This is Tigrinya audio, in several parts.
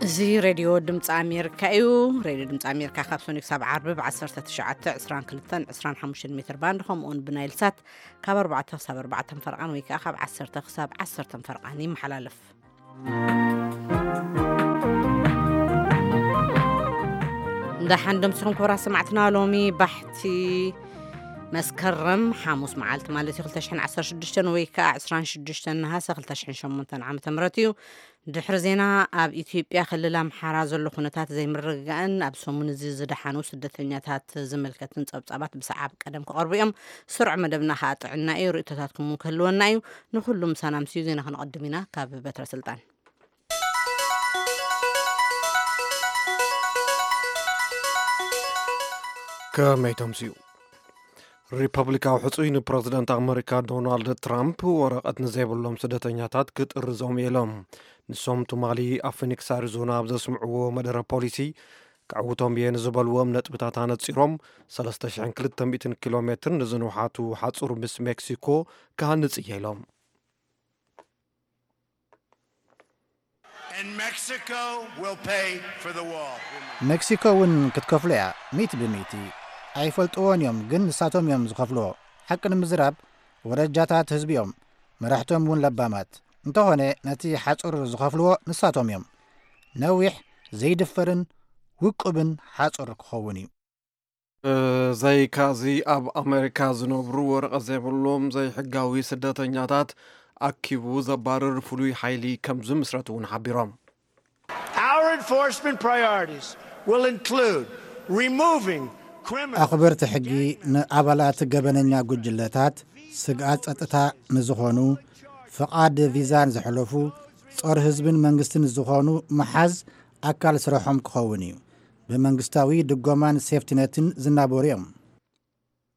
እዚ ሬድዮ ድምፂ ኣሜሪካ እዩ። ሬድዮ ድምፂ ኣሜሪካ ካብ ሰኑይ ክሳብ ዓርቢ ብ ዓሰርተ ትሽዓተ፣ ዕስራን ክልተን፣ ዕስራን ሓሙሽተን ሜትር ባንድ፣ ከምኡውን ብናይል ሳት ካብ ኣርባዕተ ክሳብ ኣርባዕተ ፈርቓን ወይ ከዓ ካብ ዓሰርተ ክሳብ ዓሰርተ ፈርቓን ይመሓላለፍ። እንዳ ሓንዶም ሲኹም ክቡራት ሰማዕትና፣ ሎሚ ባሕቲ መስከረም ሓሙስ መዓልቲ ማለት እዩ፣ ክልተ ሽሕን ዓሰርተ ሽዱሽተን ወይ ከዓ ዕስራን ሽዱሽተን ነሃሰ ክልተ ሽሕን ሸሞንተን ዓመተ ምህረት እዩ። ድሕሪ ዜና፣ ኣብ ኢትዮጵያ ክልል ኣምሓራ ዘሎ ኩነታት ዘይምርግጋእን ኣብ ሰሙን እዚ ዝደሓኑ ስደተኛታት ዝምልከትን ጸብጻባት ብሰዓብ ቀደም ክቐርቡ እዮም። ስሩዕ መደብና ከኣ ጥዕና እዩ። ርእይቶታትኩም እውን ክህልወና እዩ። ንኹሉ ምሳና ምስዩ ዜና ክነቐድም ኢና። ካብ በትረ ስልጣን። ከመይ ተምስዩ? ሪፐብሊካዊ ሕጹይ ንፕረዚደንት ኣመሪካ ዶናልድ ትራምፕ ወረቐት ንዘይብሎም ስደተኛታት ክጥርዞም እዮም። ንሶም ትማሊ ኣብ ፊኒክስ ኣሪዞና ኣብ ዘስምዕዎ መደረ ፖሊሲ፣ ከዕውቶም እየ ንዝበልዎም ነጥብታት ኣነጺሮም፣ ሰለስተ ሽሕን ክልተ ሚእትን ኪሎ ሜትር ንዝንውሓቱ ሓጹር ምስ ሜክሲኮ ክሃንጽ እየ ኢሎም። And Mexico will pay for the wall. ሜክሲኮ እውን ክትከፍሎ እያ፣ ሚእቲ ብሚእቲ። ኣይፈልጥዎን እዮም፣ ግን ንሳቶም እዮም ዝኸፍልዎ። ሓቂ ንምዝራብ፣ ወረጃታት ህዝቢ እዮም፣ መራሕቶም እውን ለባማት። እንተኾነ፣ ነቲ ሓጹር ዝኸፍልዎ ንሳቶም እዮም። ነዊሕ፣ ዘይድፈርን ውቁብን ሓጹር ክኸውን እዩ። ብዘይካዚ፣ ኣብ ኣመሪካ ዝነብሩ ወረቐት ዘይብሎም ዘይሕጋዊ ስደተኛታት ኣኪቡ ዘባርር ፍሉይ ሓይሊ ከም ዝምስረት እውን ሓቢሮም። Our enforcement priorities will include removing criminal ኣኽበርቲ ሕጊ ንኣባላት ገበነኛ ጉጅለታት፣ ስግኣት ጸጥታ ንዝኾኑ፣ ፍቓድ ቪዛን ዘሕለፉ፣ ጾር ህዝብን መንግስትን ዝኾኑ ምሓዝ ኣካል ስርሖም ክኸውን እዩ። ብመንግስታዊ ድጎማን ሴፍቲነትን ዝናበሩ እዮም።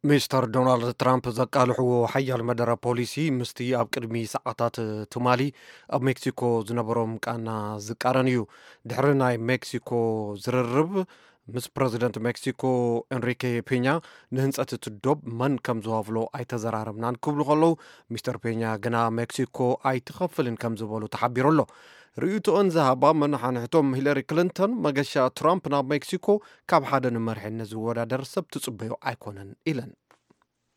ሚስተር ዶናልድ ትራምፕ ዘቃልሕዎ ሓያል መደረ ፖሊሲ፣ ምስቲ ኣብ ቅድሚ ሰዓታት ትማሊ ኣብ ሜክሲኮ ዝነበሮም ቃና ዝቃረን እዩ። ድሕሪ ናይ ሜክሲኮ ዝርርብ፣ ምስ ፕረዚደንት ሜክሲኮ ኤንሪኬ ፔኛ ንህንጸት እቲ ዶብ መን ከም ዝዋፍሎ ኣይተዘራረብናን ክብሉ ከለዉ፣ ሚስተር ፔኛ ግና ሜክሲኮ ኣይትኸፍልን ከም ዝበሉ ተሓቢሩ ኣሎ። ርእይቶኦን ዝሃባ መናሓንሕቶም ሂለሪ ክሊንተን፣ መገሻ ትራምፕ ናብ ሜክሲኮ ካብ ሓደ ንመርሒነት ዝወዳደር ሰብ ትጽበዮ ኣይኮነን ኢለን።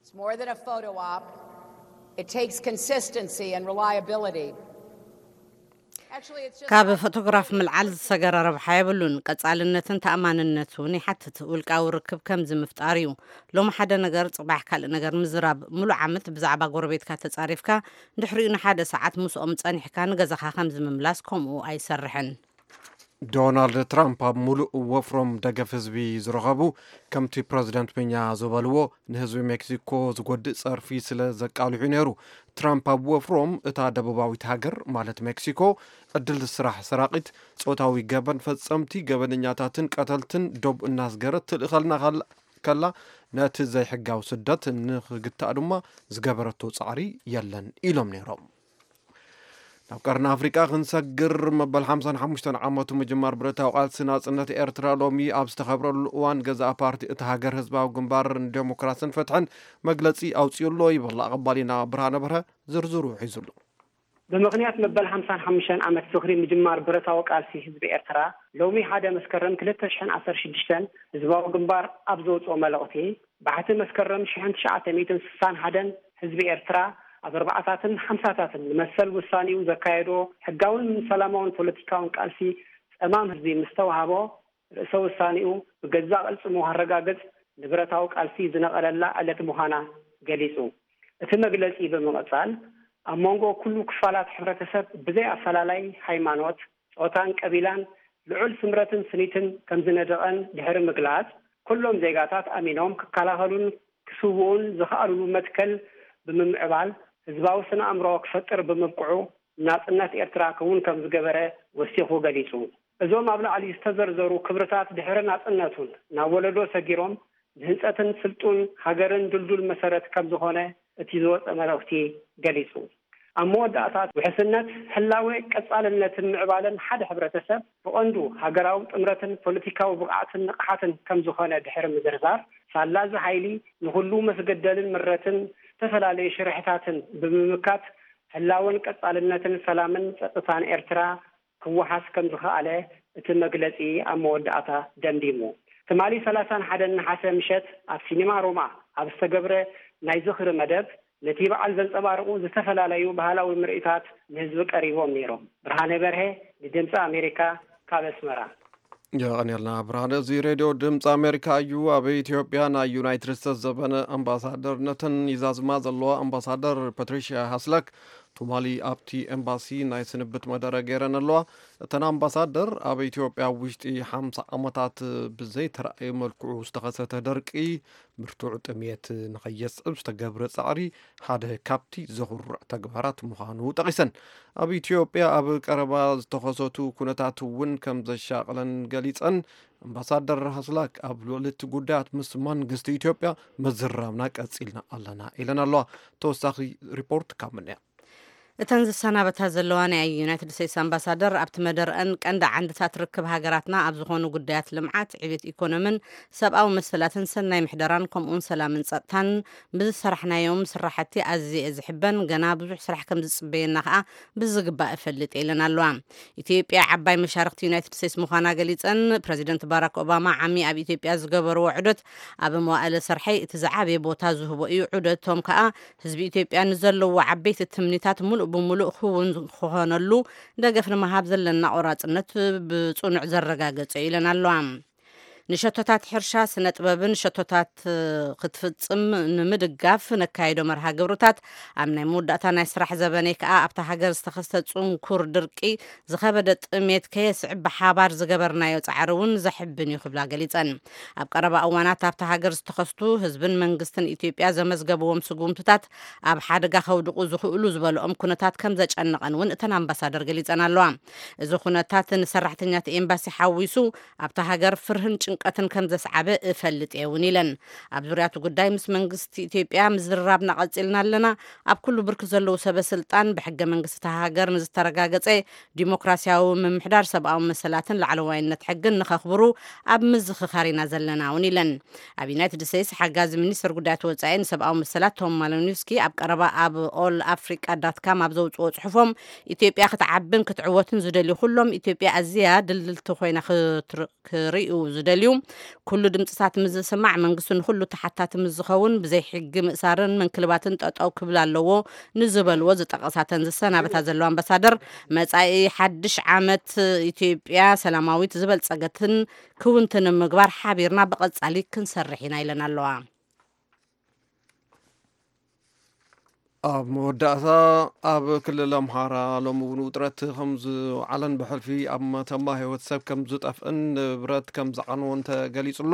It's more than a photo op. It takes consistency and reliability. Actually, it's just ካብ ፎቶግራፍ ምልዓል ዝሰገረ ረብሓ የብሉን። ቀጻልነትን ተኣማንነት እውን ይሓትት። ውልቃዊ ርክብ ከምዚ ምፍጣር እዩ። ሎሚ ሓደ ነገር፣ ጽባሕ ካልእ ነገር ምዝራብ። ሙሉእ ዓመት ብዛዕባ ጎረቤትካ ተጻሪፍካ፣ ድሕሪኡ ንሓደ ሰዓት ምስኦም ጸኒሕካ ንገዛኻ ከምዚ ምምላስ ከምኡ ኣይሰርሕን። ዶናልድ ትራምፕ ኣብ ሙሉእ ወፍሮም ደገፍ ህዝቢ ዝረኸቡ፣ ከምቲ ፕረዚደንት ፔኛ ዝበልዎ፣ ንህዝቢ ሜክሲኮ ዝጎድእ ጸርፊ ስለ ዘቃልሑ ነይሩ። ትራምፕ ኣብ ወፍሮም፣ እታ ደቡባዊት ሃገር ማለት ሜክሲኮ፣ ዕድል ስራሕ ሰራቒት፣ ጾታዊ ገበን ፈጸምቲ፣ ገበነኛታትን ቀተልትን ዶብ እናስገረት ትልእኸልና ከላ፣ ነቲ ዘይሕጋዊ ስደት ንኽግታእ ድማ ዝገበረቶ ጻዕሪ የለን ኢሎም ነይሮም። ናብ ቀርኒ ኣፍሪቃ ክንሰግር፣ መበል ሓምሳን ሓሙሽተን ዓመቱ ምጅማር ብረታዊ ቃልሲ ናጽነት ኤርትራ ሎሚ ኣብ ዝተኸብረሉ እዋን፣ ገዛእ ፓርቲ እቲ ሃገር ህዝባዊ ግንባር ንዴሞክራስን ፍትሕን መግለጺ ኣውጺኡ ኣሎ ይብል። ኣቐባሊና ብርሃነ በርሀ ዝርዝሩ ሒዙ ኣሎ። ብምኽንያት መበል ሓምሳን ሓሙሽተን ዓመት ዝኽሪ ምጅማር ብረታዊ ቃልሲ ህዝቢ ኤርትራ፣ ሎሚ ሓደ መስከረም ክልተ ሽሕን ዓሰርተ ሽዱሽተን ህዝባዊ ግንባር ኣብ ዘውጽኦ መልእኽቲ፣ ባሕቲ መስከረም ሽሕን ትሽዓተ ሚእትን ስሳን ሓደን ህዝቢ ኤርትራ ኣብ ኣርባዓታትን ሓምሳታትን ንመሰል ውሳኔኡ ዘካየዶ ሕጋውን ሰላማውን ፖለቲካውን ቃልሲ ጸማም ህዝቢ ምስ ተዋህቦ፣ ርእሰ ውሳኔኡ ብገዛእ ቅልጽሙ ከረጋግጽ ንብረታዊ ቃልሲ ዝነቐለላ ዕለት ምዃና ገሊጹ። እቲ መግለጺ ብምቕጻል፣ ኣብ መንጎ ኩሉ ክፋላት ሕብረተሰብ ብዘይ ኣፈላላይ ሃይማኖት፣ ጾታን ቀቢላን ልዑል ስምረትን ስኒትን ከም ዝነደቐን ድሕሪ ምግላጽ፣ ኩሎም ዜጋታት ኣሚኖም ክከላኸሉን ክስውኡን ዝኸኣልሉ መትከል ብምምዕባል፣ ህዝባዊ ስነ ኣእምሮ ክፈጥር ብምብቅዑ፣ ናጽነት ኤርትራ ክውን ከም ዝገበረ ወሲኹ ገሊጹ። እዞም ኣብ ላዕሊ ዝተዘርዘሩ ክብርታት ድሕሪ ናጽነቱን ናብ ወለዶ ሰጊሮም ንህንጸትን ስልጡን ሃገርን ድልዱል መሰረት ከም ዝኾነ እቲ ዝወጸ መልእኽቲ ገሊጹ። ኣብ መወዳእታ ውሕስነት፣ ህላወ፣ ቀጻልነትን ምዕባለን ሓደ ሕብረተሰብ ብቐንዱ ሃገራዊ ጥምረትን ፖለቲካዊ ብቕዓትን ንቕሓትን ከም ዝኾነ ድሕሪ ምዝርዛር፣ ሳላ እዚ ሓይሊ ንኹሉ መስገደልን ምረትን ዝተፈላለዩ ሽርሕታትን ብምምካት ህላወን ቀጻልነትን ሰላምን ጸጥታን ኤርትራ ክወሓስ ከም ዝኸኣለ እቲ መግለጺ ኣብ መወዳእታ ደምዲሙ። ትማሊ ሰላሳን ሓደን ነሓሰ ምሸት ኣብ ሲኒማ ሮማ ኣብ ዝተገብረ ናይ ዝኽሪ መደብ፣ ነቲ በዓል ዘንጸባርቑ ዝተፈላለዩ ባህላዊ ምርኢታት ንህዝቢ ቀሪቦም ነይሮም። ብርሃነ በርሄ ንድምፂ ኣሜሪካ ካብ ኣስመራ። የቐንየልና ብርሃነ። እዚ ሬድዮ ድምፂ ኣሜሪካ እዩ። ኣብ ኢትዮጵያ ናይ ዩናይትድ ስቴትስ ዘበነ ኣምባሳደርነተን ይዛዝማ ዘለዋ ኣምባሳደር ፓትሪሽያ ሃስላክ ትማሊ ኣብቲ ኤምባሲ ናይ ስንብት መደረ ገይረን ኣለዋ። እተን ኣምባሳደር ኣብ ኢትዮጵያ ውሽጢ ሓምሳ ዓመታት ብዘይተራእየ መልክዑ ዝተኸሰተ ደርቂ ብርቱዕ ጥሜት ንኸየስዕብ ዝተገብረ ጻዕሪ ሓደ ካብቲ ዘኹርዕ ተግባራት ምዃኑ ጠቒሰን። ኣብ ኢትዮጵያ ኣብ ቀረባ ዝተኸሰቱ ኩነታት እውን ከም ዘሻቕለን ገሊጸን። ኣምባሳደር ሃስላክ ኣብ ልዕሊ እቲ ጉዳያት ምስ መንግስቲ ኢትዮጵያ ምዝራብና ቀጺልና ኣለና ኢለን ኣለዋ። ተወሳኺ ሪፖርት ካብ ምንያ። እተን ዝሰናበታ ዘለዋ ናይ ዩናይትድ ስቴትስ ኣምባሳደር ኣብቲ መደርአን ቀንዲ ዓንድታት ርክብ ሃገራትና ኣብ ዝኾኑ ጉዳያት ልምዓት፣ ዕቤት ኢኮኖምን ሰብኣዊ መሰላትን ሰናይ ምሕደራን ከምኡውን ሰላምን ጸጥታን ብዝሰራሕናዮም ስራሕቲ ኣዝየ እየ ዝሕበን፣ ገና ብዙሕ ስራሕ ከም ዝጽበየና ከኣ ብዝግባእ እፈልጥ እየ ኢለን ኣለዋ። ኢትዮጵያ ዓባይ መሻርክቲ ዩናይትድ ስቴትስ ምዃና ገሊጸን፣ ፕረዚደንት ባራክ ኦባማ ዓሚ ኣብ ኢትዮጵያ ዝገበርዎ ዑደት ኣብ መዋእለ ስርሐይ እቲ ዝዓበየ ቦታ ዝህቦ እዩ። ዑደቶም ከኣ ህዝቢ ኢትዮጵያ ንዘለዎ ዓበይቲ ትምኒታት ሙሉእ ብሙሉእ ክውን ክኾነሉ ደገፍ ንምሃብ ዘለና ቆራጽነት ብጽኑዕ ዘረጋገጸ እዩ ኢለን ኣለዋ። ንሸቶታት ሕርሻ፣ ስነ ጥበብን ሸቶታት ክትፍጽም ንምድጋፍ ነካይዶ መርሃ ግብርታት ኣብ ናይ መወዳእታ ናይ ስራሕ ዘበነይ ከኣ ኣብታ ሃገር ዝተኸስተ ጽንኩር ድርቂ ዝኸበደ ጥሜት ከየስዕብ ብሓባር ዝገበርናዮ ጻዕሪ እውን ዘሕብን እዩ ክብላ ገሊጸን። ኣብ ቀረባ እዋናት ኣብታ ሃገር ዝተኸስቱ ህዝብን መንግስትን ኢትዮጵያ ዘመዝገብዎም ስጉምትታት ኣብ ሓደጋ ከውድቑ ዝኽእሉ ዝበልኦም ኩነታት ከም ዘጨነቐን እውን እተን ኣምባሳደር ገሊጸን ኣለዋ። እዚ ኩነታት ንሰራሕተኛት ኤምባሲ ሓዊሱ ኣብታ ሃገር ፍርህን ጭንቀትን ከም ዘስዓበ እፈልጥ እየ እውን ኢለን። ኣብ ዙርያ እቲ ጉዳይ ምስ መንግስቲ ኢትዮጵያ ምዝርራብና ቀጺልና ኣለና። ኣብ ኩሉ ብርኪ ዘለዉ ሰበ ስልጣን ብሕገ መንግስቲ እታ ሃገር ንዝተረጋገጸ ዲሞክራሲያዊ ምምሕዳር፣ ሰብኣዊ መሰላትን ላዕለዋይነት ሕግን ንኸኽብሩ ኣብ ምዝኽኻር ኢና ዘለና እውን ኢለን። ኣብ ዩናይትድ ስቴትስ ሓጋዚ ሚኒስትር ጉዳያት ወጻኢ ንሰብኣዊ መሰላት ቶም ማሊኖስኪ ኣብ ቀረባ ኣብ ኦል ኣፍሪቃ ዳት ካም ኣብ ዘውፅኦ ጽሑፎም፣ ኢትዮጵያ ክትዓብን ክትዕወትን ዝደልዩ ኩሎም ኢትዮጵያ ኣዝያ ድልድልቲ ኮይና ክትር-፣ ክርእዩ ዝደልዩ ኩሉ ድምፅታት ምስ ዝስማዕ መንግስቲ ንኩሉ ተሓታቲ ምስ ዝኸውን ብዘይ ሕጊ ምእሳርን ምንክልባትን ጠጠው ክብል ኣለዎ ንዝበልዎ ዝጠቐሳተን ዝሰናበታ ዘለዋ ኣምባሳደር፣ መጻኢ ሓድሽ ዓመት ኢትዮጵያ ሰላማዊት ዝበልጸገትን ክውንትን ንምግባር ሓቢርና ብቐጻሊ ክንሰርሕ ኢና ኢለን ኣለዋ። ኣብ መወዳእታ፣ ኣብ ክልል ኣምሓራ ሎሚ እውን ውጥረት ከም ዝወዓለን ብሕልፊ ኣብ መተማ ህይወት ሰብ ከም ዝጠፍእን ንብረት ከም ዝዓነወን ተገሊጹ ኣሎ።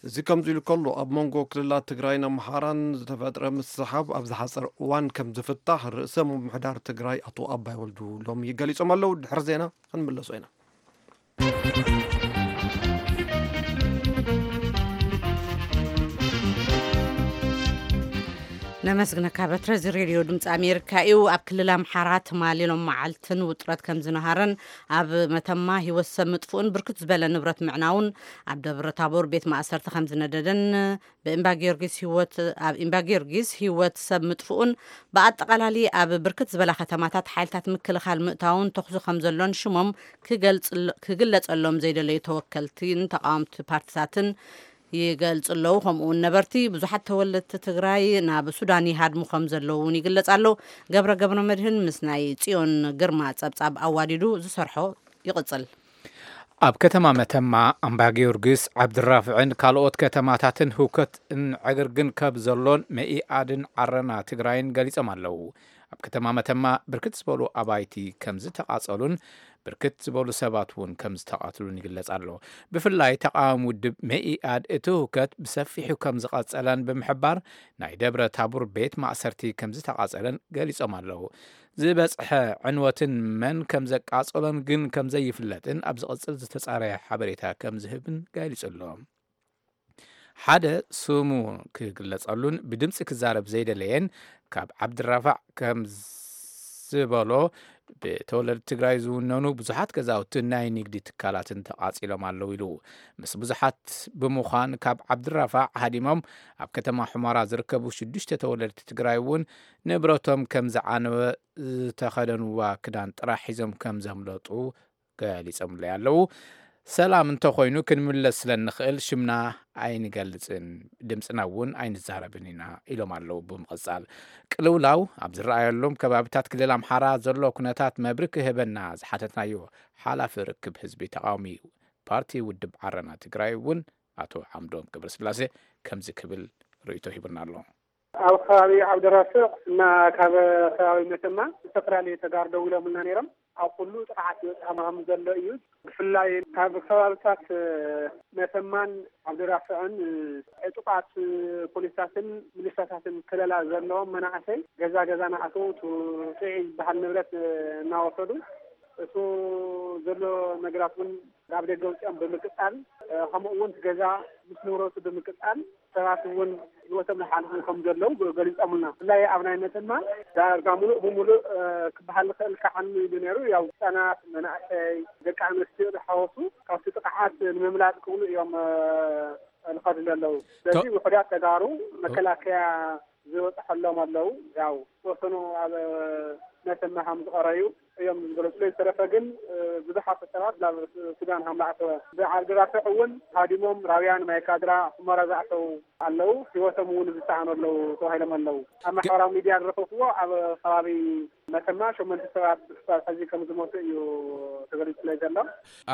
እዚ ከምዚ ኢሉ ከሎ፣ ኣብ መንጎ ክልላት ትግራይን ኣምሓራን ዝተፈጥረ ምስሕሓብ ኣብ ዝሓጸረ እዋን ከም ዝፍታሕ ርእሰ ምምሕዳር ትግራይ ኣቶ ኣባይ ወልዱ ሎሚ ገሊጾም ኣለዉ። ድሕሪ ዜና ክንምለሶ ኢና። ነመስግነካ በትረ። እዚ ሬድዮ ድምፂ ኣሜሪካ እዩ። ኣብ ክልል ኣምሓራ ትማሊ ሎም መዓልትን ውጥረት ከም ዝነሃረን ኣብ መተማ ህይወት ሰብ ምጥፍኡን ብርክት ዝበለ ንብረት ምዕናውን ኣብ ደብረ ታቦር ቤት ማእሰርቲ ከም ዝነደደን ብእምባ ጊዮርጊስ ህይወት ኣብ እምባ ጊዮርጊስ ህይወት ሰብ ምጥፍኡን ብኣጠቓላሊ ኣብ ብርክት ዝበላ ከተማታት ሓይልታት ምክልኻል ምእታውን ተኹሲ ከም ዘሎን ሽሞም ክገልጽሎ-፣ ክግለጸሎም ዘይደለዩ ተወከልትን ተቃወምቲ ፓርቲታትን ይገልጹ ኣለዉ። ከምኡ እውን ነበርቲ ብዙሓት ተወለድቲ ትግራይ ናብ ሱዳን ይሃድሙ ከም ዘለዉ እውን ይግለጽ ኣሎ። ገብረ ገብረ መድህን ምስ ናይ ጽዮን ግርማ ጸብጻብ ኣዋዲዱ ዝሰርሖ ይቕጽል። ኣብ ከተማ መተማ፣ ኣምባ ጊዮርጊስ፣ ዓብድራፍዕን ካልኦት ከተማታትን ህውከትን ዕግርግን ከብ ዘሎን መኢኣድን ዓረና ትግራይን ገሊጾም ኣለዉ። ኣብ ከተማ መተማ ብርክት ዝበሉ ኣባይቲ ከም ዝተቓጸሉን ብርክት ዝበሉ ሰባት እውን ከም ዝተቓትሉን ይግለጽ ኣሎ። ብፍላይ ተቃዋሚ ውድብ መኢኣድ እቲ ህውከት ብሰፊሑ ከም ዝቐጸለን ብምሕባር ናይ ደብረ ታቡር ቤት ማእሰርቲ ከም ዝተቓጸለን ገሊጾም ኣለዉ። ዝበጽሐ ዕንወትን መን ከም ዘቃጸሎን ግን ከም ዘይፍለጥን ኣብ ዝቕጽል ዝተጻረየ ሓበሬታ ከም ዝህብን ገሊጹ ኣሎ። ሓደ ስሙ ክግለጸሉን ብድምጺ ክዛረብ ዘይደለየን ካብ ዓብድራፋዕ ከም ዝበሎ ብተወለድቲ ትግራይ ዝውነኑ ብዙሓት ገዛውትን ናይ ንግዲ ትካላትን ተቓጺሎም ኣለዉ ኢሉ። ምስ ብዙሓት ብምዃን ካብ ዓብድራፋዕ ሃዲሞም ኣብ ከተማ ሑመራ ዝርከቡ ሽዱሽተ ተወለድቲ ትግራይ እውን ንብረቶም ከም ዝዓነወ ዝተኸደንዋ ክዳን ጥራሕ ሒዞም ከም ዘምለጡ ገሊጾምለይ ኣለዉ። ሰላም እንተኾይኑ ክንምለስ ስለ እንኽእል ሽምና ኣይንገልጽን፣ ድምጽና እውን ኣይንዛረብን ኢና ኢሎም ኣለዉ። ብምቕጻል ቅልውላው ኣብ ዝረኣየሎም ከባቢታት ክልል ኣምሓራ ዘሎ ኩነታት መብርህ ክህበና ዝሓተትናዮ ሓላፊ ርክብ ህዝቢ ተቓዋሚ ፓርቲ ውድብ ዓረና ትግራይ እውን ኣቶ ዓምዶም ገብረስላሴ ከምዚ ክብል ርእይቶ ሂቡና ኣሎ። ኣብ ከባቢ ዓብደራፍዕ እና ካብ ከባቢ መተማ ዝተፈላለዩ ተጋሩ ደው ኢሎምልና ነይሮም። ኣብ ኩሉ ጥቕዓት ይበፅሖም ከም ዘሎ እዩ። ብፍላይ ካብ ከባብታት መተማን ዓብደራፍዕን ዕጡቓት ፖሊሳትን ሚሊሻታትን ከለላ ዘለዎም መናእሰይ ገዛ ገዛ ናኣተው እቲ ጥዑይ ዝበሃል ንብረት እናወሰዱ እሱ ዘሎ ነገራት እውን ናብ ደገ ውፅኦም ብምቅፃል ከምኡ እውን እቲ ገዛ ምስ ንብረቱ ብምቅፃል ሰባት እውን ህይወቶም ዝሓልፉ ከም ዘለዉ ገሊፆምልና። ብፍላይ ኣብ ናይ መተማ ዳርጋ ሙሉእ ብሙሉእ ክበሃል ዝኽእል ከዓኑ ኢሉ ነይሩ። ያው ህፃናት፣ መናእሰይ፣ ደቂ ኣንስትዮ ዝሓወሱ ካብቲ ጥቕዓት ንምምላጥ ክብሉ እዮም ዝኸዱ ዘለዉ። ስለዚ ውሑዳት ተጋሩ መከላከያ ዝበፅሐሎም ኣለዉ። ያው ዝተወሰኑ ኣብ መተማ ከም ዝቐረዩ እዮም ዝገለፁ። ዝተረፈ ግን ብዙሓት ሰባት ናብ ሱዳን ከም ዝኣተወ፣ ብዓዲ ራፍዕ እውን ሃዲሞም ራውያን፣ ማይካድራ፣ ሑመራ ዝኣተዉ ኣለዉ። ህይወቶም እውን ዝሰኣኑ ኣለዉ ተባሂሎም ኣለዉ። ኣብ ማሕበራዊ ሚድያ ዝረኸብክዎ ኣብ ከባቢ መተማ ሸሞንተ ሰባት ክሳብ ሕዚ ከም ዝሞቱ እዩ ተገሊፁ ዘሎ።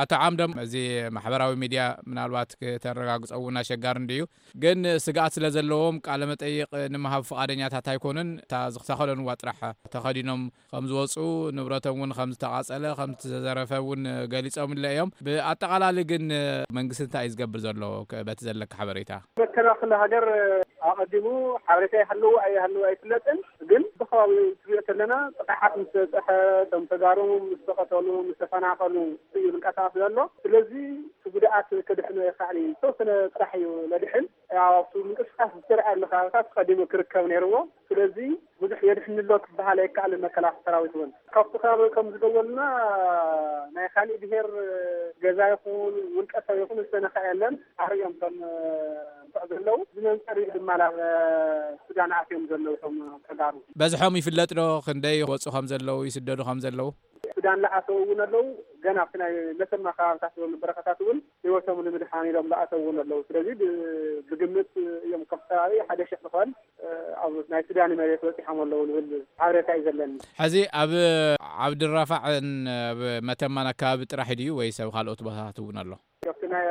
ኣቶ ዓምዶም፣ እዚ ማሕበራዊ ሚድያ ምናልባት ክተረጋግፀ እውን ኣሸጋሪ እንድዩ። ግን ስግኣት ስለ ዘለዎም ቃለ መጠይቕ ንምሃብ ፍቓደኛታት ኣይኮኑን። እታ ዝተኸደንዋ ጥራሕ ተኸዲኖም ከም ዝወፁ፣ ንብረቶም እውን ከም ዝተቓፀለ፣ ከም ዝተዘረፈ እውን ገሊፆምለ እዮም። ብኣጠቓላሊ ግን መንግስቲ እንታይ እዩ ዝገብር ዘሎ? በቲ ዘለካ ሓበሬታ። መከላኸሊ ሃገር ኣቐዲሙ ሓበሬታ ይሃልው ኣይሃልው ኣይፍለጥን። ግን ብከባቢኡ ትሪኦ ዘለና ጥቕዓት ምስ በፀሐ፣ እቶም ተጋሩ ምስ ተቐተሉ፣ ምስ ተፈናቐሉ እዩ ዝንቀሳቐስ ዘሎ። ስለዚ እቲ ጉድኣት ክድሕኖ ይኽእል እዩ። ዝተወሰነ ጥራሕ እዩ ለድሕን። ያው ኣብቲ ምንቅስቃስ ዝተርኣየሉ ከባቢታት ቀዲሙ ክርከብ ነይርዎ። ስለዚ ብዙሕ የድሕን ኣሎ ክበሃል ኣይከኣልን። መከላኸሊ ሰራዊት እውን ካብቲ ከባቢ ከም ዝደወልና ናይ ካሊእ ብሄር ገዛ ይኹን ውልቀ ሰብ ይኹን ዝተነካ የለን። ኣርእዮም ከም እንስዕ ዘለዉ ዝመንፀር እዩ ድማ ናብ ሱዳን ኣትዮም ዘለዉ እቶም ተጋሩ። በዝሖም ይፍለጥ ዶ? ክንደይ ይወፁ ከም ዘለዉ፣ ይስደዱ ከም ዘለዉ? ሱዳን ለኣተው እውን ኣለዉ። ገና ኣብቲ ናይ መተማ ከባብታት ዝበሉ በረኻታት እውን ህይወቶም ንምድሓን ኢሎም ለኣተው እውን ኣለዉ። ስለዚ ብ-፣ ብግምት እዮም ከም ከባቢ ሓደ ሽሕ ዝኾን ኣብ ናይ ሱዳን መሬት በፂሖም ኣለዉ ዝብል ሓበሬታ እዩ ዘለኒ። ሕዚ ኣብ ዓብድራፋዕን ኣብ መተማን ኣካባቢ ጥራሕ ድዩ ወይስ ኣብ ካልኦት ቦታታት እውን ኣሎ? ኣብቲ ናይ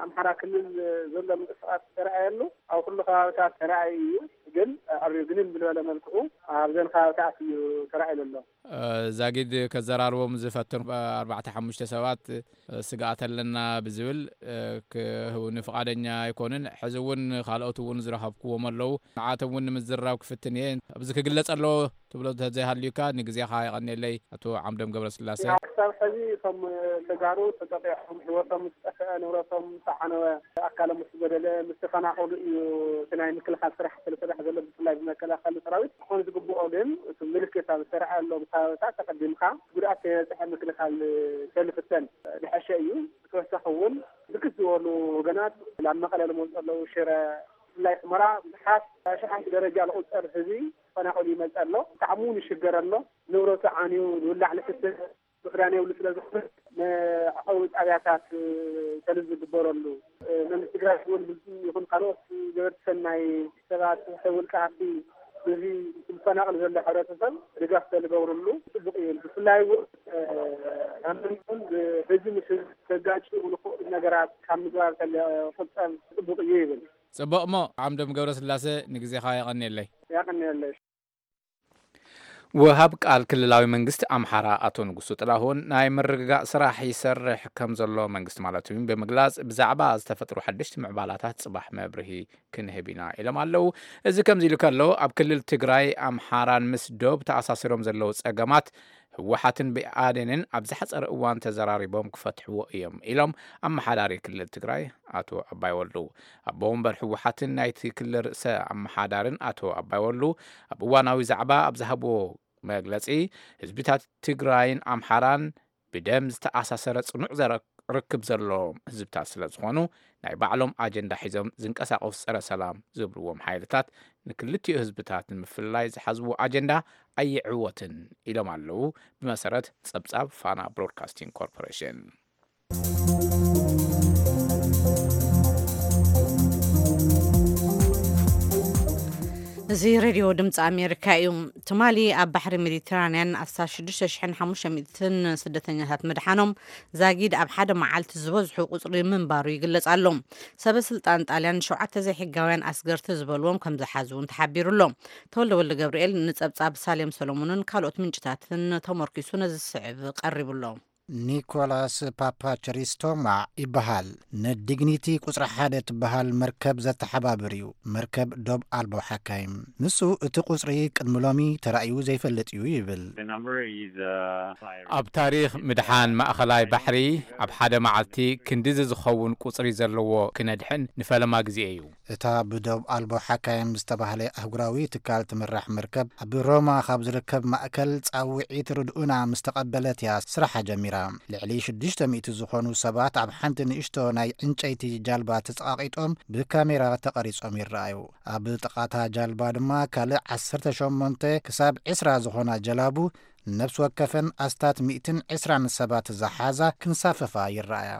ኣምሓራ ክልል ዘሎ ምንቅስቃስ ተረኣየሉ ኣብ ኩሉ ከባብታት ተረኣዩ እዩ። ግን ኣብ ግንን ብዝበለ መልክዑ ኣብዘን ከባብታት እዩ ተረኣዩ ዘሎ። ዛጊድ ከዘራርቦም ዝፈተኑ ኣርባዕተ ሓሙሽተ ሰባት ስግኣት ኣለና ብዝብል ክህቡኒ ፍቓደኛ ኣይኮኑን። ሕዚ እውን ካልኦት እውን ዝረኸብክዎም ኣለዉ። ንዓቶም እውን ንምዝራብ ክፍትን እየ። ኣብዚ ክግለጽ ኣለዎ ትብሎ እንተዘይሃልዩካ ንግዜኻ የቐንየለይ ኣቶ ዓምዶም ገብረስላሴ። ያው ክሳብ ሕዚ እቶም ተጋሩ ተጠቂዖም ህይወቶም ምስ ጠፍአ፣ ንብረቶም ምስ ተዓነወ፣ ኣካሎም ምስ ጎደለ፣ ምስ ተፈናቐሉ እዩ እቲ ናይ ምክልኻል ስራሕ ዝስራሕ ዘሎ፣ ብፍላይ ብመከላኸሊ ሰራዊት። ክኾን ዝግብኦ ግን እቲ ምልክት ኣብ ዝተረኣየሎም ከባቢታት ተቐዲምካ ጉድኣት ከይበፅሐ ምክልኻል ተልፍተን ዝሐሸ እዩ። ብተወሳኺ እውን ብርክት ዝበሉ ወገናት ናብ መቐለ ዝመፁ ኣለዉ። ሽረ፣ ብፍላይ ሑመራ ብዙሓት ኣሽሓት ደረጃ ዝቑፀር ህዝቢ ተፈናቒሉ ይመፅእ ኣሎ። ብጣዕሚ እውን ይሽገር ኣሎ። ንብረቱ ዓንዩ ዝብላዕ ዝስተ ምኽዳን የብሉ ስለ ዝኾነ መዕቆቢ ጣብያታት ተልዝ ዝግበረሉ መንግስቲ ትግራይ እውን ብዚ ይኹን ካልኦት ገበርቲ ሰናይ ሰባት ውልቀ ሃፍቲ ነዚ ዝፈናቐል ዘሎ ሕብረተሰብ ድጋፍ ተዝገብርሉ ፅቡቕ እዩ። ብፍላይ እውን ኣብ መንጎን ብህዝቢ ምስ ህዝቢ ዘጋጭ ንኽእሉ ነገራት ካብ ምግባር ተዝቁጠብ ፅቡቕ እዩ ይብል። ፅቡቕ እሞ ዓምዶም ገብረስላሴ ንግዜኻ የቐንየለይ። ያቐንየለይ። ወሃብ ቃል ክልላዊ መንግስቲ ኣምሓራ ኣቶ ንጉሱ ጥላሁን ናይ ምርግጋእ ስራሕ ይሰርሕ ከም ዘሎ መንግስቲ ማለት እውን ብምግላጽ ብዛዕባ ዝተፈጥሩ ሓደሽቲ ምዕባላታት ጽባሕ መብርሂ ክንህብ ኢና ኢሎም ኣለዉ። እዚ ከምዚ ኢሉ ከሎ ኣብ ክልል ትግራይ ኣምሓራን ምስ ዶብ ተኣሳሲሮም ዘለዉ ጸገማት ህወሓትን ብኣዴንን ኣብ ዝሓጸረ እዋን ተዘራሪቦም ክፈትሕዎ እዮም ኢሎም ኣመሓዳሪ ክልል ትግራይ ኣቶ ኣባይ ወልዱ። ኣቦ ወንበር ህወሓትን ናይቲ ክልል ርእሰ ኣመሓዳርን ኣቶ ኣባይ ወልዱ ኣብ እዋናዊ ዛዕባ ኣብ ዝሃብዎ መግለጺ ህዝብታት ትግራይን ኣምሓራን ብደም ዝተኣሳሰረ ጽኑዕ ዘረ-፣ ርክብ ዘለዎም ህዝብታት ስለ ዝኾኑ፣ ናይ ባዕሎም ኣጀንዳ ሒዞም ዝንቀሳቐሱ ጸረ ሰላም ዝብልዎም ሓይልታት፣ ንክልቲኡ ህዝብታት ንምፍልላይ ዝሓዝዎ ኣጀንዳ ኣይዕወትን ኢሎም ኣለዉ፣ ብመሰረት ጸብጻብ ፋና ብሮድካስቲንግ ኮርፖሬሽን። እዚ ሬድዮ ድምፂ ኣሜሪካ እዩ። ትማሊ ኣብ ባሕሪ ሜዲትራንያን ኣስታት ሽዱሽተ ሽሕን ሓሙሽተ ሚእትን ስደተኛታት ምድሓኖም ዛጊድ ኣብ ሓደ መዓልቲ ዝበዝሑ ቁፅሪ ምንባሩ ይግለጽ ኣሎ። ሰበ ስልጣን ጣልያን ሸውዓተ ዘይሕጋውያን ኣስገርቲ ዝበልዎም ከም ዝሓዙ እውን ተሓቢሩ ኣሎ። ተወልደ ወልደ ገብርኤል ንጸብጻብ ሳሌም ሰሎሞንን ካልኦት ምንጭታትን ተመርኪሱ ነዚ ዝስዕብ ቀሪቡ ኣሎ። ኒኮላስ ፓፓቸሪስቶማ ይበሃል። ንዲግኒቲ ቁጽሪ ሓደ ትበሃል መርከብ ዘተሓባብር እዩ። መርከብ ዶብ ኣልቦ ሓካይም። ንሱ እቲ ቁጽሪ ቅድሚ ሎሚ ተራእዩ ዘይፈልጥ እዩ ይብል። The number is, uh, ኣብ ታሪኽ ምድሓን ማእኸላይ ባሕሪ ኣብ ሓደ መዓልቲ ክንድዚ ዝኸውን ቁጽሪ ዘለዎ ክነድሕን ንፈለማ ግዜ እዩ። እታ ብዶብ ኣልቦ ሓካይም ዝተባህለ ኣህጉራዊ ትካል ትምራሕ መርከብ፣ ኣብ ሮማ ካብ ዝርከብ ማእከል ጻውዒት ርድኡና ምስ ተቐበለት እያ ስራሓ ጀሚራ። ልዕሊ ሽዱሽተ ሚእቲ ዝኾኑ ሰባት ኣብ ሓንቲ ንእሽቶ ናይ ዕንጨይቲ ጃልባ ተጸቓቒጦም ብካሜራ ተቐሪጾም ይረኣዩ። ኣብ ጥቓታ ጃልባ ድማ ካልእ ዓሰርተ ሸሞንተ ክሳብ ዕስራ ዝኾና ጀላቡ፣ ነፍሲ ወከፈን ኣስታት ሚእትን ዕስራን ሰባት ዝሓዛ ክንሳፈፋ ይረኣያ።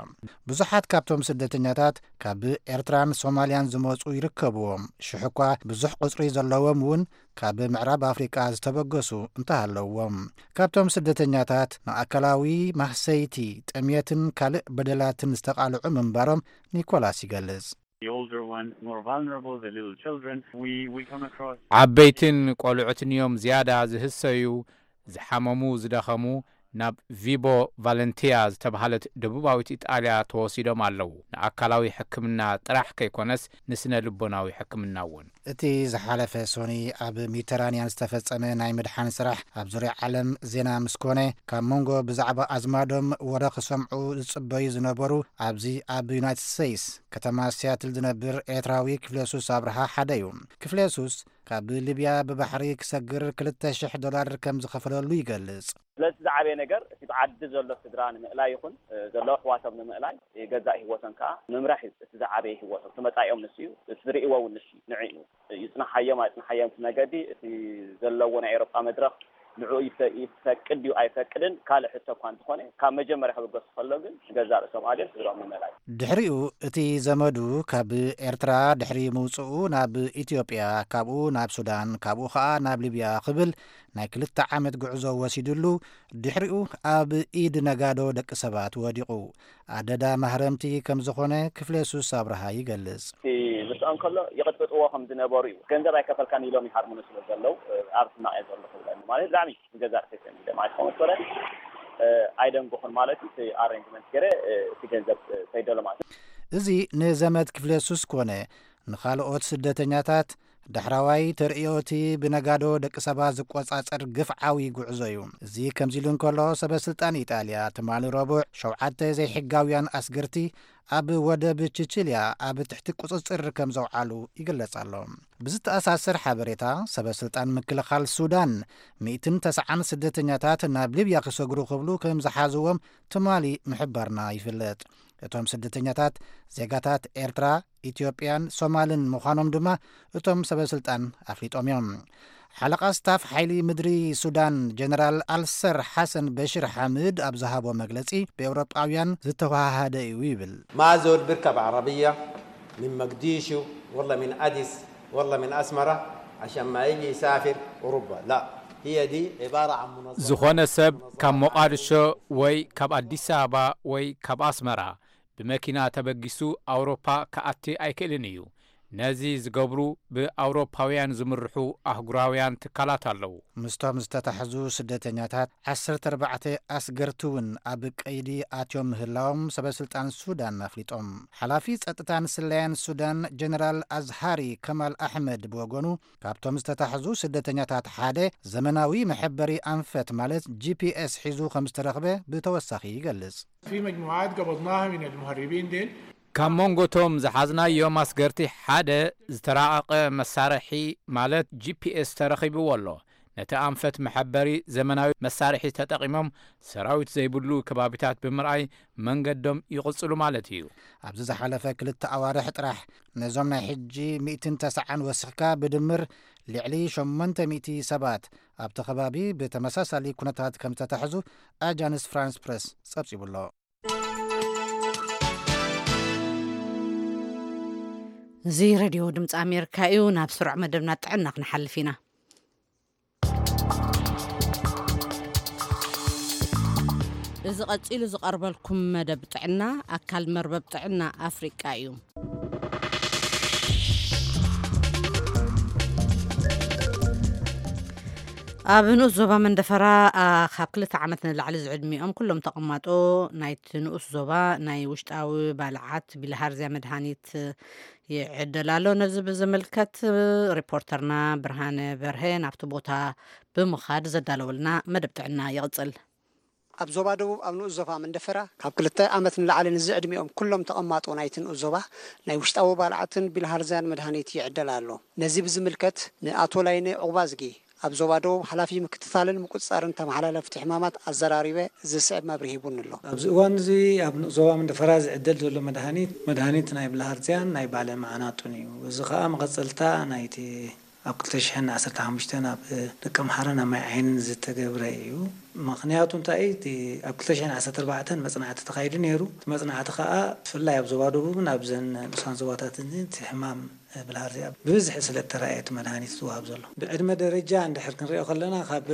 ብዙሓት ካብቶም ስደተኛታት ካብ ኤርትራን ሶማልያን ዝመጹ ይርከብዎም። ሽሕ እኳ ብዙሕ ቁጽሪ ዘለዎም እውን ካብ ምዕራብ ኣፍሪቃ ዝተበገሱ እንተሃለውዎም። ካብቶም ስደተኛታት ንኣካላዊ ማህሰይቲ፣ ጥምየትን ካልእ በደላትን ዝተቓልዑ ምንባሮም ኒኮላስ ይገልጽ። The older ones, more vulnerable, the little children. We, we come across ዓበይትን ቆልዑትን እዮም ዝያዳ ዝህሰዩ፣ ዝሓመሙ፣ ዝደኸሙ። ናብ ቪቦ ቫለንቲያ ዝተባህለት ደቡባዊት ኢጣልያ ተወሲዶም ኣለዉ። ንኣካላዊ ሕክምና ጥራሕ ከይኮነስ ንስነ ልቦናዊ ሕክምና እውን። እቲ ዝሓለፈ ሶኒ ኣብ ሜዲተራንያን ዝተፈጸመ ናይ ምድሓን ስራሕ ኣብ ዙርያ ዓለም ዜና ምስ ኮነ፣ ካብ መንጎ ብዛዕባ ኣዝማዶም ወረ ክሰምዑ ዝጽበዩ ዝነበሩ ኣብዚ ኣብ ዩናይትድ ስቴትስ ከተማ ሲያትል ዝነብር ኤርትራዊ ክፍለ ሱስ ኣብርሃ ሓደ እዩ። ክፍለ ሱስ ካብ ሊብያ ብባሕሪ ክሰግር ክልተ ሽሕ ዶላር ከም ዝኸፈለሉ ይገልጽ። ስለዚ እቲ ዝዓበየ ነገር እቲ ብዓዲ ዘሎ ስድራ ንምእላይ ይኹን፣ እ፣ ዘሎ ኣሕዋቶም ንምእላይ፣ እ፣ ገዛእ ህይወቶም ከኣ ምምራሕ እዩ እቲ ዝዓበየ ህይወቶም። እቲ መጻኢኦም ንሱ እዩ፣ እቲ ዝርእይዎ እውን ንሱ እዩ፣ ንዕኡ እዩ። ይጽንሓዮም ኣይጽንሓዮም እቲ መገዲ፣ እቲ ዘለዎ ናይ ኤውሮጳ መድረኽ ንዕኡ ይፈ-፣ ይፈቅድ ድዩ ኣይፈቅድን ካልእ ሕቶ እኳ እንተኾነ፣ ካብ መጀመርያ ክብገሱ ከሎ ግን ንገዛእ ርእሶም ኣልዮም ስድራኦም ምእላይ። ድሕሪኡ እቲ ዘመዱ ካብ ኤርትራ ድሕሪ ምውጽኡ ናብ ኢትዮጵያ፣ ካብኡ ናብ ሱዳን፣ ካብኡ ኸኣ ናብ ሊብያ ክብል ናይ ክልተ ዓመት ጉዕዞ ወሲድሉ፣ ድሕሪኡ ኣብ ኢድ ነጋዶ ደቂ ሰባት ወዲቑ። ኣደዳ ማህረምቲ ከም ዝኾነ ክፍለ ሱስ ኣብርሃ ይገልጽ። እቲ ምስኦም ከሎ ይቕጥቅጥዎ ከም ዝነበሩ እዩ። ገንዘብ ኣይከፈልካን ኢሎም ይሃርሙኒ ስለ ዘለዉ፣ ኣብ ሕማቕ እየ ዘለኹ ይብለኒ። ማለት ብጣዕሚ ንገዛእ ርእሰይ ሰኒደ ማለት ከም ወሰደ፣ እ፣ ኣይደንጎኹን ማለት እዩ። እቲ ኣሬንጅመንት ገይረ፣ እ፣ እቲ ገንዘብ፣ እ፣ ሰይደሎ ማለት እዩ። እዚ ንዘመድ ክፍለ ሱስ ኮነ ንኻልኦት ስደተኛታት ዳሕራዋይ ተርእዮ እቲ ብነጋዶ ደቂ ሰባት ዝቆጻጸር ግፍዓዊ ጉዕዞ እዩ። እዚ ከምዚ ኢሉ እንከሎ፣ ሰበ ስልጣን ኢጣልያ ትማሊ ረቡዕ ሸውዓተ ዘይሕጋውያን ኣስገርቲ ኣብ ወደብ ቺቺልያ ኣብ ትሕቲ ቁጽጽር ከም ዘውዓሉ ይግለጽ ኣሎ። ብዝተኣሳሰር ሓበሬታ፣ ሰበ ስልጣን ምክልኻል ሱዳን ሚእትን ተስዓን ስደተኛታት ናብ ሊብያ ክሰግሩ ክብሉ ከም ዝሓዝዎም ትማሊ ምሕባርና ይፍለጥ። እቶም ስደተኛታት ዜጋታት ኤርትራ፣ ኢትዮጵያን ሶማልን ምዃኖም ድማ እቶም ሰበ ስልጣን ኣፍሊጦም እዮም። ሓለቓ ስታፍ ሓይሊ ምድሪ ሱዳን ጀነራል ኣልሰር ሓሰን በሽር ሓምድ ኣብ ዝሃቦ መግለጺ፣ ብኤውሮጳውያን ዝተወሃሃደ እዩ ይብል። ما زول بيركب عربية من مقديشو ولا من أديس ولا من أسمرة عشان ما يجي يسافر أوروبا. لا، هي دي عبارة عن منظمة. ዝኾነ ሰብ ካብ ሞቓድሾ ወይ ካብ ኣዲስ ኣበባ ወይ ካብ ኣስመራ ብመኪና ተበጊሱ ኣውሮፓ ክኣቲ ኣይክእልን እዩ። ነዚ ዝገብሩ ብኣውሮፓውያን ዝምርሑ ኣህጉራውያን ትካላት ኣለዉ። ምስቶም ዝተታሕዙ ስደተኛታት ዓሰርተ ኣርባዕተ ኣስገርቲ እውን ኣብ ቀይዲ ኣትዮም ምህላዎም ሰበ ስልጣን ሱዳን ኣፍሊጦም። ሓላፊ ጸጥታን ስለያን ሱዳን ጀነራል ኣዝሃሪ ከማል ኣሕመድ ብወገኑ፣ ካብቶም ዝተታሕዙ ስደተኛታት ሓደ ዘመናዊ መሐበሪ ኣንፈት ማለት ጂ ፒ ኤስ ሒዙ ከም ዝተረኽበ ብተወሳኺ ይገልጽ። في مجموعات قبضناها من المهربين ديل. ካብ መንጎቶም ዝሓዝናዮም ኣስገርቲ ሓደ ዝተራቐቐ መሳርሒ ማለት ጂ ፒ ኤስ ተረኺብዎ ኣሎ። ነቲ ኣንፈት መሐበሪ ዘመናዊ መሳርሒ ተጠቒሞም ሰራዊት ዘይብሉ ከባቢታት ብምርኣይ መንገዶም ይቕጽሉ ማለት እዩ። ኣብዚ ዝሓለፈ ክልተ ኣዋርሕ ጥራሕ ነዞም ናይ ሕጂ ሚእትን ተስዓን ወሲኽካ ብድምር ልዕሊ ሸሞንተ ሚእቲ ሰባት ኣብቲ ከባቢ ብተመሳሳሊ ኩነታት ከም ዝተታሕዙ ኣጃንስ ፍራንስ ፕረስ ጸብጺቡ ኣሎ። እዚ ሬድዮ ድምፂ ኣሜሪካ እዩ። ናብ ስሩዕ መደብና ጥዕና ክንሓልፍ ኢና። እዚ ቀጺሉ ዝቐርበልኩም መደብ ጥዕና ኣካል መርበብ ጥዕና ኣፍሪቃ እዩ። ኣብ ንኡስ ዞባ መንደፈራ፣ ኣ፣ ካብ ክልተ ዓመት ንላዕሊ ዝዕድሚኦም ኩሎም ተቐማጦ ናይቲ ንኡስ ዞባ ናይ ውሽጣዊ ባልዓት ቢልሃርዝያ መድሃኒት ይዕደል ኣሎ። ነዚ ብዝምልከት ሪፖርተርና ብርሃነ በርሀ ናብቲ ቦታ ብምኻድ ዘዳለወልና መደብ ጥዕና ይቕጽል። ኣብ ዞባ ደቡብ ኣብ ንኡስ ዞባ መንደፈራ ካብ ክልተ ዓመት ንላዕሊ ንዝዕድሚኦም ኩሎም ተቐማጦ ናይቲ ንኡስ ዞባ ናይ ውሽጣዊ ባልዓትን ቢልሃርዝያን መድሃኒት ይዕደል ኣሎ። ነዚ ብዝምልከት ንኣቶ ላይነ ዑቕባዝጊ ኣብ ዞባ ደቡብ ሓላፊ ምክትታልን ምቁጽጻርን ተመሓላለፍቲ ሕማማት ኣዘራሪበ ዝስዕብ መብርሂ ሂቡኒ ኣሎ። ኣብዚ እዋን እዚ ኣብ ንኡስ ዞባ መንደፈራ ዝዕደል ዘሎ መድሃኒት፣ መድሃኒት ናይ ብልሃርዝያን ናይ ባለ መዓናጡን እዩ። እዚ ኸኣ መቐጸልታ ናይቲ ኣብ ክልተ ሽሕን ዓሰርተ ሓሙሽተን ኣብ ደቂ ኣምሓራን ኣብ ማይ ዓይንን ዝተገብረ እዩ። ምኽንያቱ እንታይ እዩ? እቲ ኣብ ክልተ ሽሕን ዓሰርተ ኣርባዕተን መጽናዕቲ ተኻይዱ ነይሩ። እቲ መጽናዕቲ ኸኣ ብፍላይ ኣብ ዞባ ደቡብን ኣብዘን ንኡሳን ዞባታትን እቲ ሕማም ብልሃርዝያ ብብዝሒ ስለ እተራእየ እቲ መድሃኒት ዝወሃብ ዘሎ። ብዕድመ ደረጃ እንድሕር ክንሪኦ ከለና ካብ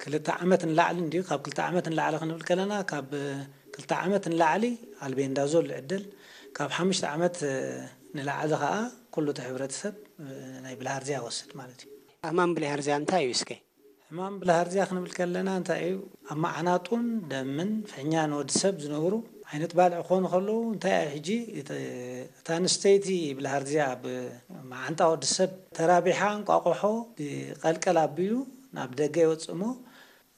ክልተ ዓመት ንላዕሊ እንድዩ። ካብ ክልተ ዓመት ንላዕሊ ክንብል ከለና ካብ ክልተ ዓመት ንላዕሊ ኣልቤንዳዞል ይዕደል። ካብ ሓሙሽተ ዓመት ንላዕሊ ኸኣ ኩሉ እቲ ሕብረተሰብ ናይ ብልሃርዝያ ይወስድ ማለት እዩ። ሕማም ብልሃርዝያ እንታይ እዩ እስከ? ሕማም ብልሃርዝያ ክንብል ከለና እንታይ እዩ? ኣብ መዓናጡን ደምን ፍሕኛ ንወዲ ሰብ ዝነብሩ ዓይነት ባልዕ ክኾኑ ከለዉ እንታይ እዩ ሕጂ? እት-፣ እታ ኣንስተይቲ ብልሃርዝያ ኣብ መዓንጣ ወዲ ሰብ ተራቢሓ እንቋቑሖ ብቐልቀል ኣቢሉ ናብ ደገ ይወጽእ እሞ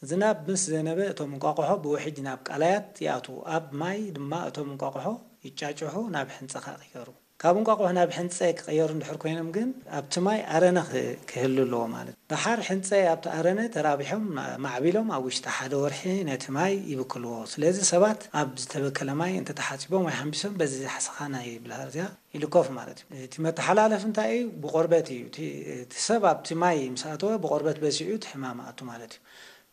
ዝናብ ምስ ዘነበ እቶም እንቋቑሖ ብውሕጅ ናብ ቀላያት ይኣትዉ። ኣብ ማይ ድማ እቶም እንቋቑሖ ይጫጭሑ ናብ ሕንጸ ከኣ ይቀየሩ። ካብ እንቋቑሖ ናብ ሕንጸ ክቐየሩ እንድሕር ኮይኖም ግን ኣብቲ ማይ ኣረነ ክ-፣ ክህሉ ኣለዎ ማለት እዩ። ደሓር ሕንጸ ኣብቲ ኣረነ ተራቢሖም ማ-፣ ማዕቢሎም ኣብ ውሽጢ ሓደ ወርሒ ነቲ ማይ ይብክልዎ። ስለዚ ሰባት ኣብ ዝተበከለ ማይ እንተተሓጺቦም ወይ ሓንቢሶም በዚ ሓሰኻ ናይ ብልሃርዝያ ይልከፉ ማለት እዩ። እቲ መተሓላለፊ እንታይ እዩ? ብቆርበት እዩ። እቲ፣ እቲ ሰብ ኣብቲ ማይ ምስ ኣተወ ብቆርበት በሲዑ እቲ ሕማም ኣቱ ማለት እዩ።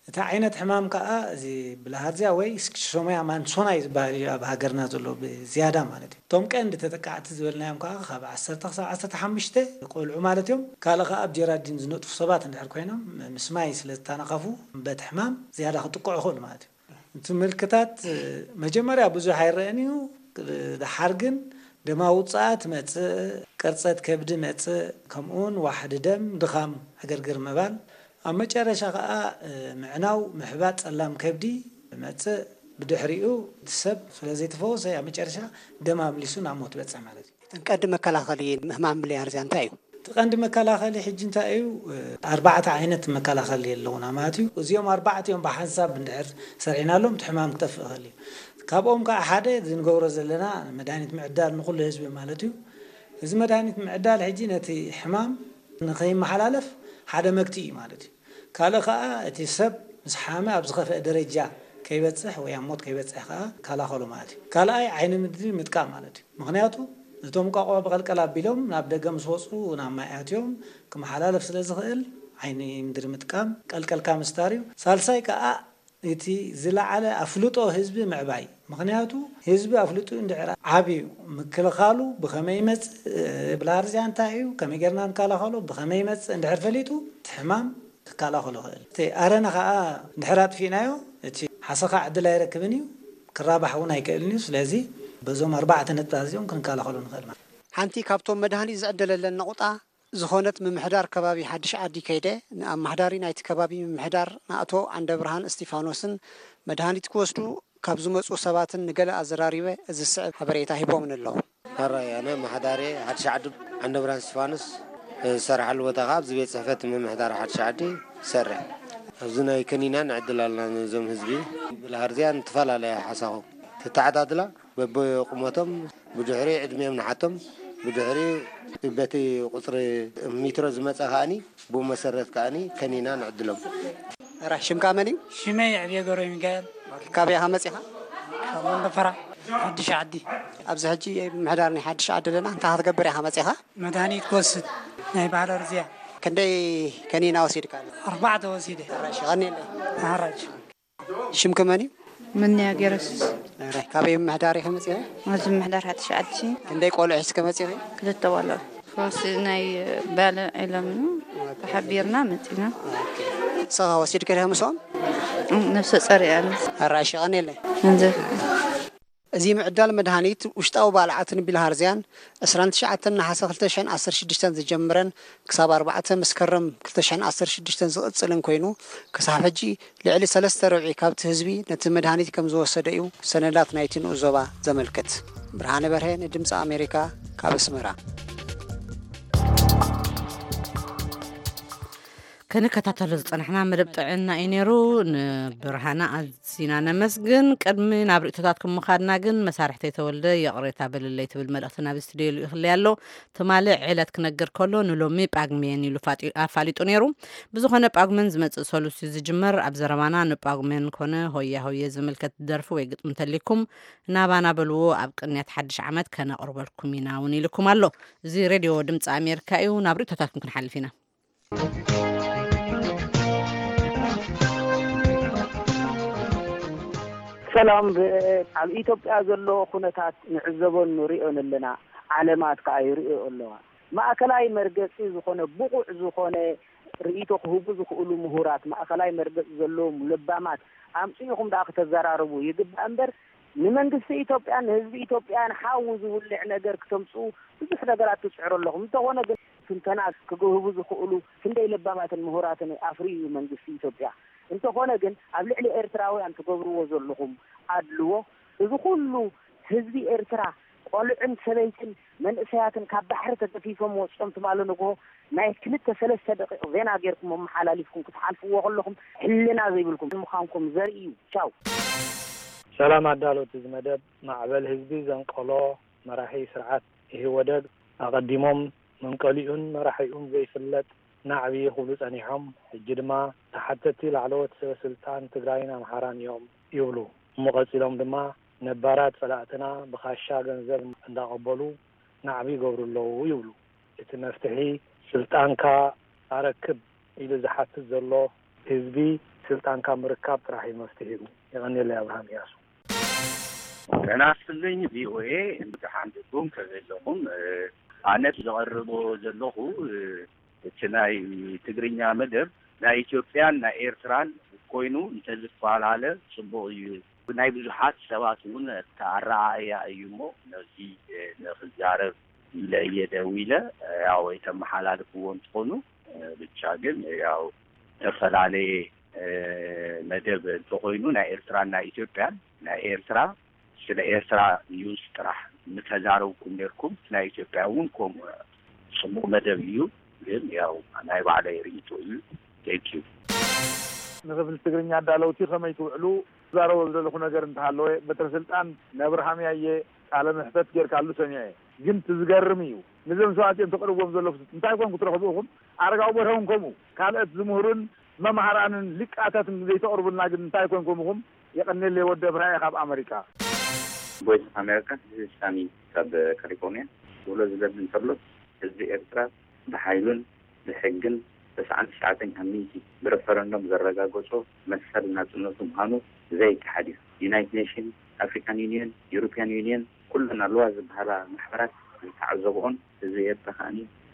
እቲ ዓይነት ሕማም ከኣ እዚ ብልሃርዝያ ወይ ስኪሶምያ ማንሶናይ ዝበሃል እዩ ኣብ ሃገርና ዘሎ ብዝያዳ ማለት እዩ። እቶም ቀንዲ ተጠቃዕቲ ዝበልናዮም ከኣ ካብ ዓሰርተ ክሳብ ዓሰርተ ሓሙሽተ ቆልዑ ማለት እዮም። ካልእ ከኣ ኣብ ጀራዲን ዝነጥፉ ሰባት እንድሕር ኮይኖም ምስ ማይ ስለ ዝተነኸፉ በቲ ሕማም ዝያዳ ክጥቅዑ ይኽእሉ ማለት እዩ። እቲ ምልክታት መጀመርያ ብዙሕ ኣይረአን እዩ። ደሓር ግን ደማዊ ውጽኣት መጽእ፣ ቅርጸት ከብዲ መጽእ፣ ከምኡውን ዋሕዲ ደም፣ ድኻም፣ ዕግርግር ምባል፣ ኣብ መጨረሻ ኸኣ፣ እ፣ ምዕናው፣ ምሕባጥ ጸላም ከብዲ መጽእ፣ ብድሕሪኡ እቲ ሰብ ስለ ዘይተፈወሰ ኣብ መጨረሻ ደም ኣምሊሱ ናብ ሞት በጽሕ ማለት እዩ። እተን ቀንዲ መከላኸሊ ሕማም ብልያርዝያ እንታይ እዩ? እቲ ቀንዲ መከላኸሊ ሕጂ እንታይ እዩ? እ፣ ኣርባዕተ ዓይነት መከላኸሊ ኣለዉና ማለት እዩ። እዚኦም ኣርባዕቲኦም ብሓንሳብ እንድሕር ሰሪዕናሎም እቲ ሕማም ክጠፍእ ይኽእል እዩ። ካብኦም ከዓ ሓደ እዚ ንገብሮ ዘለና መድሃኒት ምዕዳል ንኹሉ ህዝቢ ማለት እዩ። እዚ መድሃኒት ምዕዳል ሕጂ ነቲ ሕማም ንኸይመሓላለፍ ሓደ መግትኢ እዩ ማለት እዩ። ካልእ ከኣ እቲ ሰብ ምስ ሓመ ኣብ ዝኸፍአ ደረጃ ከይበጽሕ ወይ ኣብ ሞት ከይበጽሕ ከኣ ይከላኸሎ ማለት እዩ። ካልኣይ ዓይኒ ምድሪ ምጥቃም ማለት እዩ። ምኽንያቱ እቶም እንቋቑሖ ብቐልቀል ኣቢሎም ናብ ደገ ምስ ወጹ ናብ ማይ ኣትዮም ክመሓላለፍ ስለ ዝኽእል ዓይኒ ምድሪ ምጥቃም፣ ቀልቀልካ ምስታር እዩ። ሳልሳይ ከኣ እቲ ዝለዓለ ኣፍልጦ ህዝቢ ምዕባይ። ምኽንያቱ ህዝቢ ኣፍልጡ እንድሕር ዓብዩ ምክልኻሉ ብኸመይ ይመጽእ፣ ብላርዝያ እንታይ እዩ፣ ከመይ ጌርና ንከላኸሎ፣ ብኸመይ ይመጽእ እንድሕር ፈሊጡ እቲ ሕማም ክከላኸሎ ይኽእል። እቲ ኣረነ ኸኣ እንድሕር ኣጥፊእናዮ እቲ ሓሰኻ ዕድል ኣይረክብን እዩ፣ ክራባሕ እውን ኣይክእልን እዩ። ስለዚ በዞም ኣርባዕተ ነጥብታት እዚኦም ክንከላኸሎ ንኽእል ማለት እዩ። ሓንቲ ካብቶም መድሃኒት ዝዕደለለን ነቑጣ ዝኾነት ምምሕዳር ከባቢ ሓድሽ ዓዲ ከይደ ንኣመሓዳሪ ናይቲ ከባቢ ምምሕዳር ንኣቶ ዓንደብርሃን እስቲፋኖስን መድሃኒት ክወስዱ ካብ ዝመጹ ሰባትን ንገለ ኣዘራሪበ እዚ ዝስዕብ ሓበሬታ ሂቦምን ኣለዉ። ሕራይ፣ ኣነ ኣመሓዳሪ ሓድሽ ዓዲ ዓንደብርሃን እስቲፋኖስ፣ ዝሰርሓሉ ቦታ ከኣ ኣብዚ ቤት ጽሕፈት ምምሕዳር ሓድሽ ዓዲ ይሰርሕ። ኣብዚ ናይ ከኒና ንዕድል ኣለና ነዞም ህዝቢ። ብልሃርዝያ ንተፈላለየ ሓሳኹ ተተዓዳድላ በብቁመቶም ብድሕሪ ዕድሚኦም ንሓቶም ብድሕሪ በቲ ቁፅሪ ሜትሮ ዝመፀ ከዓኒ ብኡ መሰረት ከዓኒ ከኒና ንዕድሎም። ራሕ ሽምካ መን እዩ? ሽመይ ዕብየ ገብረ ሚካኤል። ካበይ ኢኻ መፂኻ? ካብ መንደፈራ ሓድሽ ዓዲ። ኣብዚ ሕጂ ምሕዳር ናይ ሓድሽ ዓዲ ኣለና። እንታይ ክትገብር ኢኻ መፂኻ? መድሃኒት ክወስድ ናይ ባህለ ርዝያ። ክንደይ ከኒና ወሲድካ ኣሎ? ኣርባዕተ ወሲደ። ራሕ ሽቐኒ ኣለይ። ሓራጅ። ሽምኪ መን እዩ? ምንያ ገረሱስ። ራሕ ካበይ ምሕዳር ኢኻ መፂኻ? ኣብዚ ምሕዳር ሓድሽ ዓዲ። ክንደይ ቆልዑ ሒዝኪ መፂኺ? ክልተ ቆልዑ። ፈውሲ ናይ ባለ ዒሎም ተሓቢርና መፂና። ሰኻ ወሲድኪ ዲኻ ምስኦም? ነፍሰ ጸር እያ። ራሕ ሽቐኒ ኣለይ። እንዘ እዚ ምዕዳል መድሃኒት ውሽጣዊ ባልዓትን ቢልሃርዝያን ዕስራን ትሽዓተን ነሓሰ ክልተ ሽሕን ዓሰርተ ሽዱሽተን ዝጀምረን ክሳብ ኣርባዕተ መስከረም ክልተ ሽሕን ዓሰርተ ሽዱሽተን ዝቕጽልን ኮይኑ፣ ክሳብ ሕጂ ልዕሊ ሰለስተ ርብዒ ካብቲ ህዝቢ ነቲ መድሃኒት ከም ዝወሰደ እዩ ሰነዳት ናይቲ ንኡስ ዞባ ዘመልክት። ብርሃነ በርሀ ንድምፂ ኣሜሪካ ካብ ኣስመራ። ክንከታተሎ ዝጸናሕና መደብ ጥዕና እዩ ነይሩ። ንብርሃና ኣዝና ነመስግን። ቅድሚ ናብ ርእይቶታት ክምኻድና ግን መሳርሕተይ ተወልደ ይቕሬታ በልለይ ትብል መልእኽቲ ናብ ስቱድዮ ልኢኽለይ ኣሎ። ትማሊ ዕለት ክነግር ከሎ ንሎሚ ጳጉሜን ኢሉ ፋጢ-፣ ኣፋሊጡ ነይሩ። ብዝኾነ ጳጉሜን ዝመጽእ ሰሉስ እዩ ዝጅመር። ኣብ ዘረባና ንጳጉሜን ኮነ ሆያ ሆየ ዝምልከት ደርፊ ወይ ግጥሚ እንተሊኩም ናባና በልዎ፣ ኣብ ቅንያት ሓድሽ ዓመት ከነቕርበልኩም ኢና እውን ኢልኩም ኣሎ። እዚ ሬድዮ ድምፂ ኣሜሪካ እዩ። ናብ ርእይቶታትኩም ክንሓልፍ ኢና። ሰላም፣ ብ-፣ ኣብ ኢትዮጵያ ዘሎ ኩነታት ንዕዘቦን ንሪኦን ኣለና። ዓለማት ከኣ ይርእዮ ኣለዋ። ማእከላይ መርገጺ ዝኾነ ብቑዕ ዝኾነ ርእይቶ ክህቡ ዝኽእሉ ምሁራት፣ ማእከላይ መርገጺ ዘለዎም ለባማት ኣምጺእኹም ደኣ ክተዘራርቡ ይግባእ እምበር፣ ንመንግስቲ ኢትዮጵያን ንህዝቢ ኢትዮጵያን ሓዊ ዝውልዕ ነገር ክተምጽኡ ብዙሕ ነገራት ትጽዕሩ ኣለኹም። እንተኾነ ግን ትንተና ክህቡ ዝኽእሉ ክንደይ ለባማትን ምሁራትን ኣፍርዩ እዩ መንግስቲ ኢትዮጵያ። እንተኾነ ግን ኣብ ልዕሊ ኤርትራውያን ትገብርዎ ዘለኹም ኣድልዎ፣ እዚ ኩሉ ህዝቢ ኤርትራ ቆልዑን ሰበይትን መንእሰያትን ካብ ባሕሪ ተገፊፎም ወጺኦም ትማሊ ንግሆ ናይ ክልተ ሰለስተ ደቂቕ ዜና ጌርኩም ኣመሓላሊፍኩም ክትሓልፍዎ ከለኹም ሕልና ዘይብልኩም ምዃንኩም ዘርኢ እዩ። ቻው። ሰላም ኣዳለውቲ እዚ መደብ፣ ማዕበል ህዝቢ ዘንቀሎ መራሒ ስርዓት ኢህወደግ ኣቐዲሞም መንቀሊኡን መራሒኡን ዘይፍለጥ ናዕቢ ክብሉ ጸኒሖም፣ ሕጂ ድማ ተሓተቲ ላዕለዎት ሰበ ስልጣን ትግራይን ኣምሓራን እዮም ይብሉ። እሞ ቀጺሎም ድማ ነባራት ጸላእትና ብኻሻ ገንዘብ እንዳቐበሉ ናዕቢ ይገብሩ ኣለዉ ይብሉ። እቲ መፍትሒ ስልጣንካ ኣረክብ ኢሉ ዝሓትት ዘሎ ህዝቢ ስልጣንካ ምርካብ ጥራሕ እዩ መፍትሒኡ። የቐንየለይ ኣብርሃም እያሱ። ጤና ይስጥልኝ ቪኦኤ፣ ደሓን ዲኹም? ከመይ ኣለኹም? ኣነ ዘቐርቦ ዘለኹ እቲ ናይ ትግርኛ መደብ ናይ ኢትዮጵያን ናይ ኤርትራን ኮይኑ እንተዝፈላለ ጽቡቕ እዩ። ናይ ብዙሓት ሰባት እውን ኣረኣእያ እዩ እሞ ነዚ ንኽዛረብ ኢለ እየ ደዊለ። ያው የተመሓላልፍዎ እንትኾኑ ብቻ ግን ያው ዝተፈላለየ መደብ እንተኾይኑ ናይ ኤርትራን ናይ ኢትዮጵያን ናይ ኤርትራ ስለ ኤርትራ ኒውስ ጥራሕ ምተዛረብኩም ኔርኩም፣ ናይ ኢትዮጵያ እውን ከምኡ ጽቡቕ መደብ እዩ። ግን ያው ናይ ባዕለይ ርእይቶ እዩ። Thank you። ንክፍሊ ትግርኛ ኣዳለውቲ ከመይ ትውዕሉ? ዝዛረቦ ዝደለኹ ነገር እንተሃለወ በትረ ስልጣን ነብርሃም ያየ ቃለ ምሕተት ጌርካሉ ሰሚዐ። ግን ትዝገርም እዩ። ንዞም ሰባት እዮም ተቅርብዎም ዘለኹ እንታይ ኮን ክትረኽቡ ኢኹም? ኣረጋዊ በርሀ እውን ከምኡ ካልኦት ዝምህሩን መምሃራንን ሊቃታትን ዘይተቕርቡልና ግን እንታይ ኮንኩም ኢኹም? የቐንየለይ ወዲ ኣብርሃየ ካብ ኣመሪካ። Voice of America, this is Sami ካብ ካሊፎርኒያ። ክብሎ ዝደሊ እንተሎ ህዝቢ ኤርትራ ብሓይሉን ብሕግን ተስዓን ትሽዓተን ካብ ሚእቲ ብረፈረንዶም ዘረጋገጾ መሰል ናጽነቱ ምዃኑ ዘይከሓድ እዩ። ዩናይትድ ኔሽን፣ ኣፍሪካን ዩኒየን፣ ዩሮፕያን ዩኒየን ኩለን ኣለዋ ዝበሃላ ማሕበራት ዝተዓዘብኦን ህዝቢ ኤርትራ ከኣ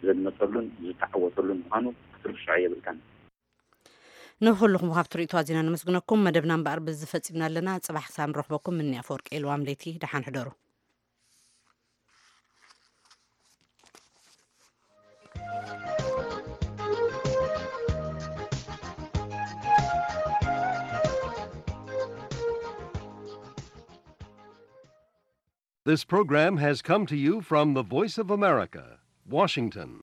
ዘድመጸሉን ዝተዓወተሉን ምዃኑ ክትርስዖ የብልካን። ንኹልኹም ካብቲ ርእይቶ ኣዚና ነመስግነኩም። መደብና እምበኣር በዚ ፈጺምና ኣለና። ጽባሕ ክሳብ ንረኽበኩም ምኒ ኣፈወርቂ ኢልዋም ለይቲ ደሓን ሕደሩ። This program has come to you from the Voice of America, Washington.